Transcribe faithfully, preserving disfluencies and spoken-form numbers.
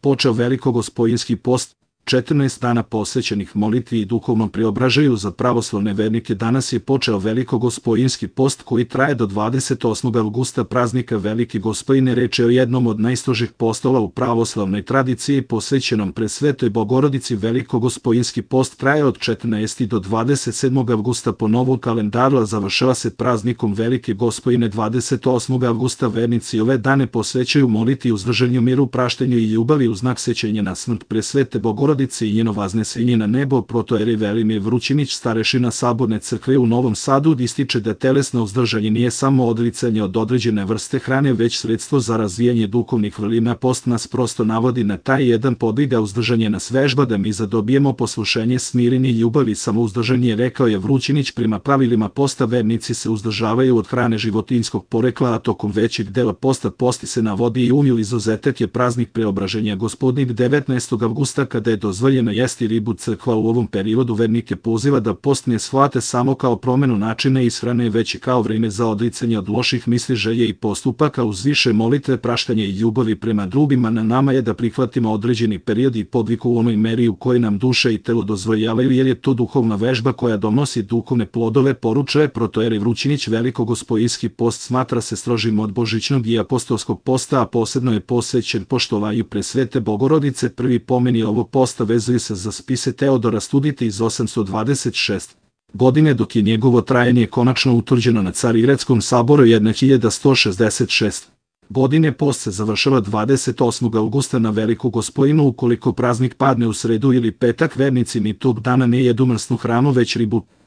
počeo velikogospojinski post, četrnaest dana posvećenih molitvi i duhovnom preobražaju za pravoslavne vernike. Danas je počeo velikogospojinski post koji traje do dvadeset osmog avgusta, praznika Velike Gospojine. Reč je o jednom od najstrožih postova u pravoslavnoj tradiciji posvećenom Presvetoj Bogorodici. Velikogospojinski post traje od četrnaestog do dvadeset sedmog avgusta po novom kalendaru, a završava se praznikom Velike Gospojine dvadeset osmog avgusta. Vernici ove dane posvećuju molitvi, uzdržanju, miru, praštenju i ljubavi u znak sećanja na smrt Presvete Bogorodice i njeno vaznesenje na nebo. Protoijerej Velimir Vrućinić, starešina Saborne crkve u Novom Sadu, ističe da telesno uzdržanje nije samo odricanje od određene vrste hrane, već sredstvo za razvijanje duhovnih vrlina. Post nas prosto navodi na taj jedan podvig, a uzdržanje nas vežba da mi zadobijemo poslušenje, smirenje i ljubav i samouzdržanje, rekao je Vrućinić. Prema pravilima posta vernici se uzdržavaju od hrane životinjskog porekla, a tokom većeg dela posta posti se na vodi i umju. Izuzetak je praznik Preobraženja Gospodnjeg devetnaestog avgusta, kada je dozvoljeno jesti ribu. Crkva u ovom periodu vernike poziva da post ne shvate samo kao promenu načina ishrane, već i kao vreme za odricanje od loših misli, želje i postupaka uz više molitve, praštanja i ljubavi prema drugima. Na nama je da prihvatimo određeni period i podvig u onoj meri u kojoj nam duša i telo dozvoljavaju, jer je to duhovna vežba koja donosi duhovne plodove, poručuje protoijerej Vrućinić. Velikogospojinski post smatra se strožim od božićnog i apostolskog posta, a posebno je posvećen poštovanju Presvete Bogorodice. Prvi pomeni ovog posta vezuju se za spise Teodora Studite iz osamsto dvadeset šeste. godine, dok je njegovo trajanje konačno utvrđeno na Carigradskom saboru hiljadu sto šezdeset šeste. godine. Post se završava dvadeset osmog avgusta na Veliku Gospojinu. Ukoliko praznik padne u sredu ili petak, vernici ni tog dana ne jedu mrsnu hranu, već ribu.